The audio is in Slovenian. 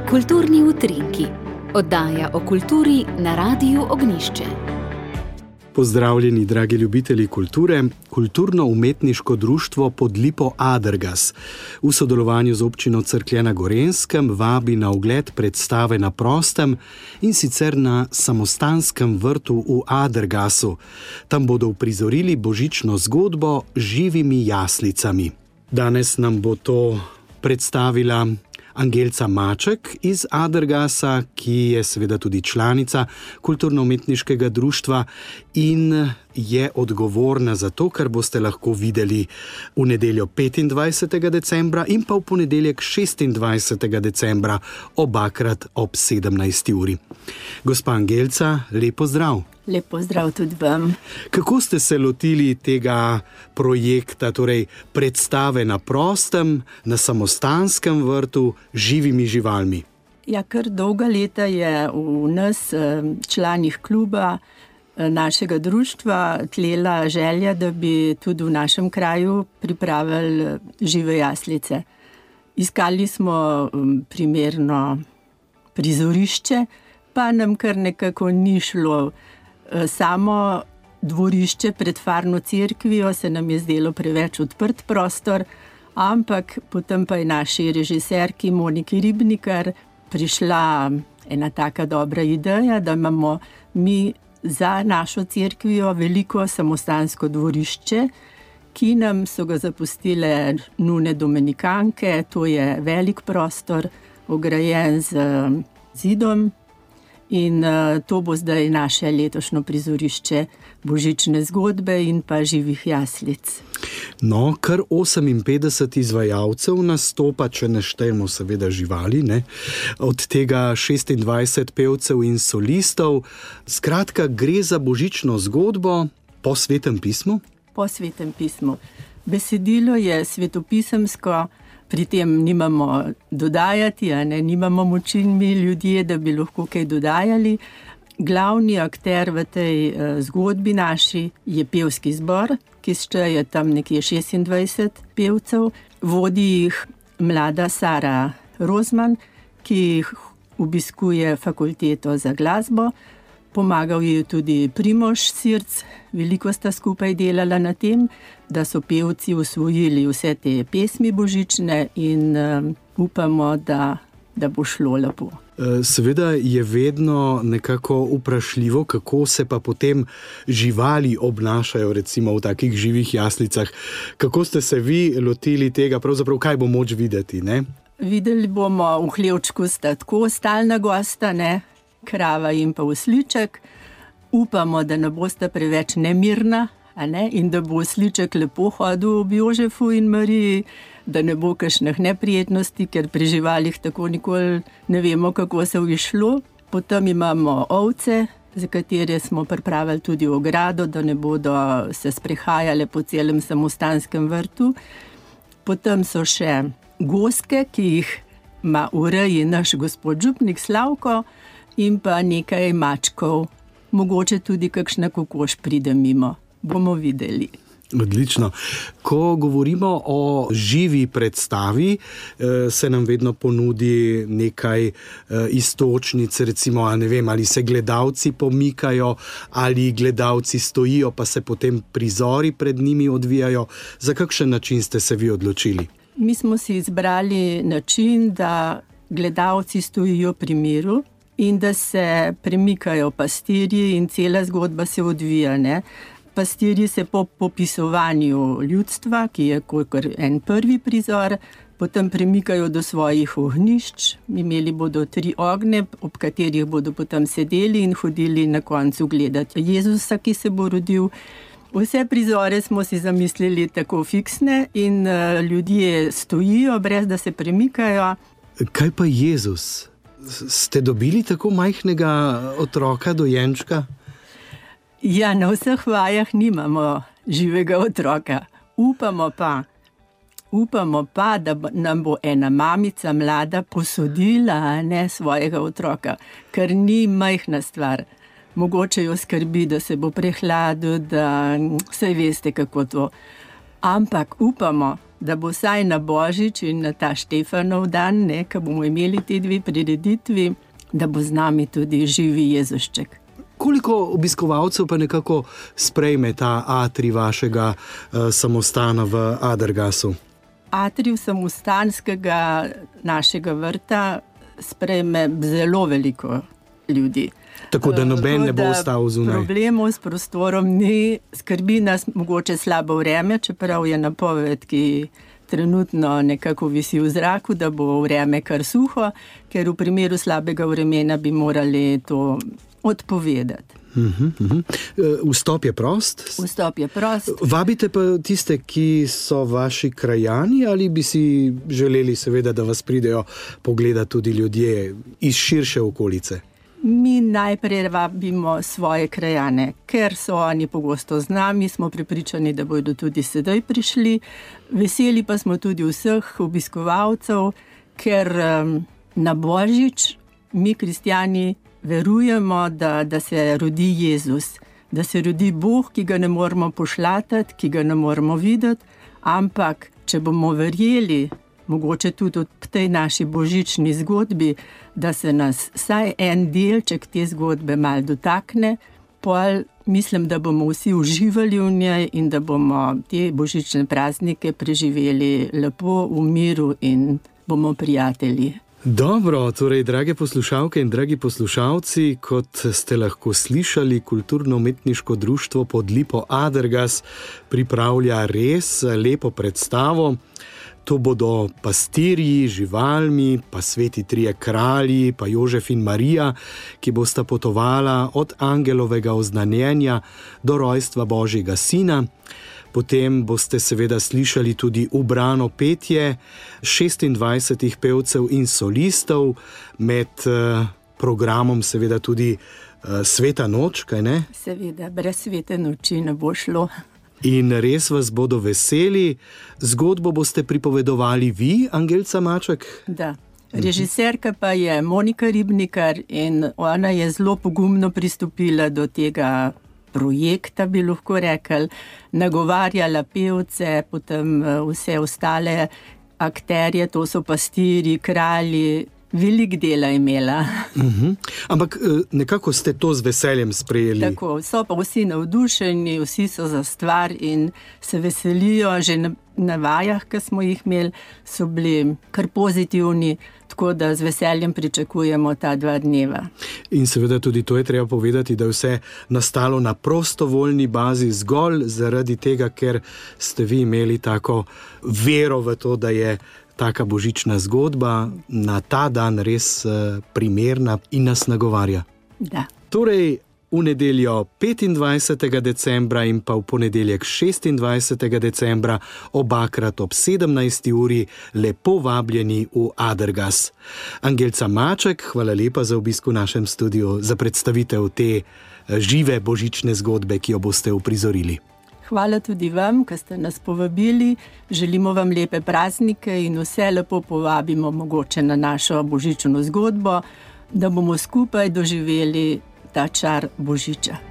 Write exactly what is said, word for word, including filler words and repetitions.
Kulturni utrinki, oddaja o kulturi na Radiu Ognjišče. Pozdravljeni, dragi ljubitelji kulture. Kulturno-umetniško društvo Podlipo Adergas v sodelovanju z občino Cerklje na Gorenjskem vabi na ogled predstave na prostem, in sicer na samostanskem vrtu v Adergasu. Tam bodo uprizorili božično zgodbo z živimi jaslicami. Danes nam bo to predstavila Angelca Maček iz Adergasa, ki je seveda tudi članica kulturno-umetniškega društva in je odgovorna za to, kar boste lahko videli v nedeljo petindvajsetega decembra in pa v ponedeljek šestindvajsetega decembra, obakrat ob sedemnajsti uri. Gospa Angelca, lep pozdrav. Lep pozdrav tudi vam. Kako ste se lotili tega projekta, torej predstave na prostem, na samostanskem vrtu, živimi živalmi? Ja, kar dolga leta je v nas, članih kluba, našega društva, tlela želja, da bi tudi v našem kraju pripravili žive jaslice. Iskali smo primerno prizorišče, pa nam kar nekako ni šlo. Samo dvorišče pred farno cerkvijo se nam je zdelo preveč odprt prostor, ampak potem pa je naši režiserki Moniki Ribnikar prišla ena taka dobra ideja, da imamo mi za našo cerkvijo veliko samostansko dvorišče, ki nam so ga zapustile nune dominikanke. To je velik prostor, ograjen z zidom. In uh, to bo zdaj naše letošnje prizorišče božične zgodbe in pa živih jaslic. No, kar oseminpetdeset izvajalcev nastopa, če ne štejemo seveda živali, ne? Od tega šestindvajset pevcev in solistov. Skratka, gre za božično zgodbo po Svetem pismu? Po Svetem pismu. Besedilo je svetopisemsko. Pri tem nimamo dodajati, a ne, nimamo moči mi ljudje, da bi lahko kaj dodajali. Glavni akter v tej uh, zgodbi naši je pevski zbor, ki šteje tam nekje šestindvajset pevcev. Vodi jih mlada Sara Rozman, ki jih obiskuje fakulteto za glasbo. Pomagal je tudi Primož Sirc, veliko sta skupaj delala na tem, da so pevci usvojili vse te pesmi božične in uh, upamo, da, da bo šlo lepo. Seveda je vedno nekako vprašljivo, kako se pa potem živali obnašajo, recimo v takih živih jaslicah. Kako ste se vi lotili tega, pravzaprav kaj bo moč videti, ne? Videli bomo v hlevčku sta tako stalna gosta, ne? Krava in pa osliček. Upamo, da ne boste preveč nemirna, a ne? In da bo osliček lepo hodil ob Jožefu in Mariji, da ne bo kakšnih neprijetnosti, ker pri živalih tako nikoli ne vemo, kako se bo išlo. Potem imamo ovce, za katere smo pripravili tudi ogrado, da ne bodo se sprehajale po celem samostanskem vrtu. Potem so še goske, ki jih ima v reji naš gospod župnik Slavko, in pa nekaj mačkov, mogoče tudi kakšna kokoš pride mimo. Bomo videli. Odlično. Ko govorimo o živi predstavi, se nam vedno ponudi nekaj iztočnic, recimo, a ne vem, ali se gledalci pomikajo, ali gledalci stojijo, pa se potem prizori pred njimi odvijajo. Za kakšen način ste se vi odločili? Mi smo si izbrali način, da gledalci stojijo pri miru in da se premikajo pastirji in cela zgodba se odvija, ne. Pastirji se po popisovanju ljudstva, ki je kakor en prvi prizor, potem premikajo do svojih ognjišč. Imeli bodo tri ogne, ob katerih bodo potem sedeli in hodili na koncu gledati Jezusa, ki se bo rodil. Vse prizore smo si zamislili tako fiksne in uh, ljudje stojijo, brez da se premikajo. Kaj pa Jezus? Ste dobili tako majhnega otroka, dojenčka? Ja, na vseh vajah nimamo živega otroka. Upamo pa, upamo pa, da nam bo ena mamica mlada posodila, ne, svojega otroka, ker ni majhna stvar. Mogoče jo skrbi, da se bo prehladil, da vse veste, kako to. Ampak upamo, da bo vsaj na Božič in na ta Štefanov dan, ne, ko bomo imeli te dve prireditvi, da bo z nami tudi živi Jezušček. Koliko obiskovalcev pa nekako sprejme ta atrij vašega uh, samostana v Adergasu? Atrij samostanskega našega vrta sprejme zelo veliko ljudi. Tako da noben ne bo ostal zunaj. Problemov s prostorom ni, skrbi nas mogoče slabo vreme, čeprav je napoved, ki trenutno nekako visi v zraku, da bo vreme kar suho, ker v primeru slabega vremena bi morali to odpovedati. Uhum, uhum. Vstop je prost? Vstop je prost. Vabite pa tiste, ki so vaši krajani, ali bi si želeli seveda, da vas pridejo pogledati tudi ljudje iz širše okolice? Mi najprej vabimo svoje krajane, ker so oni pogosto z nami, smo prepričani, da bodo tudi sedaj prišli. Veseli pa smo tudi vseh obiskovalcev, ker um, na Božič mi kristjani verujemo, da, da se rodi Jezus, da se rodi Bog, ki ga ne moremo pošlatati, ki ga ne moremo videti, ampak če bomo verjeli, mogoče tudi v tej naši božični zgodbi, da se nas vsaj en delček te zgodbe malo dotakne, pol mislim, da bomo vsi uživali v njej in da bomo te božične praznike preživeli lepo v miru in bomo prijatelji. Dobro, torej, drage poslušalke in dragi poslušalci, kot ste lahko slišali, Kulturno-umetniško društvo Pod lipo Adergas pripravlja res lepo predstavo. To bodo pastirji, živalmi, pa sveti trije kralji, pa Jožef in Marija, ki bosta potovala od angelovega oznanjenja do rojstva Božjega sina. Potem boste seveda slišali tudi ubrano petje šestindvajsetih pevcev in solistov, med uh, programom seveda tudi uh, Sveta noč, kaj ne? Seveda, brez svete noči ne bo šlo. In res vas bodo veseli. Zgodbo boste pripovedovali vi, Angelca Maček? Da. Režiserka pa je Monika Ribnikar in ona je zelo pogumno pristopila do tega projekta, bi lahko rekli, nagovarjala pevce, potem vse ostale akterje, to so pastirji, kralji, veliko dela imela. Uh-huh. Ampak nekako ste to z veseljem sprejeli. Tako, so pa vsi navdušeni, vsi so za stvar in se veselijo, že na, na vajah, ki smo jih imeli, so bili kar pozitivni, tako da z veseljem pričakujemo ta dva dneva. In seveda tudi to je treba povedati, da je vse nastalo na prostovoljni bazi zgolj zaradi tega, ker ste vi imeli tako vero v to, da je taka božična zgodba na ta dan res primerna in nas nagovarja. Da. Torej, v nedeljo petindvajsetega decembra in pa v ponedeljek šestindvajsetega decembra obakrat ob sedemnajsti uri lepo vabljeni v Adergas. Angelca Maček, hvala lepa za obisk v našem studiu, za predstavitev te žive božične zgodbe, ki jo boste uprizorili. Hvala tudi vam, ki ste nas povabili. Želimo vam lepe praznike in vse lepo povabimo mogoče na našo božično zgodbo, da bomo skupaj doživeli ta čar Božiča.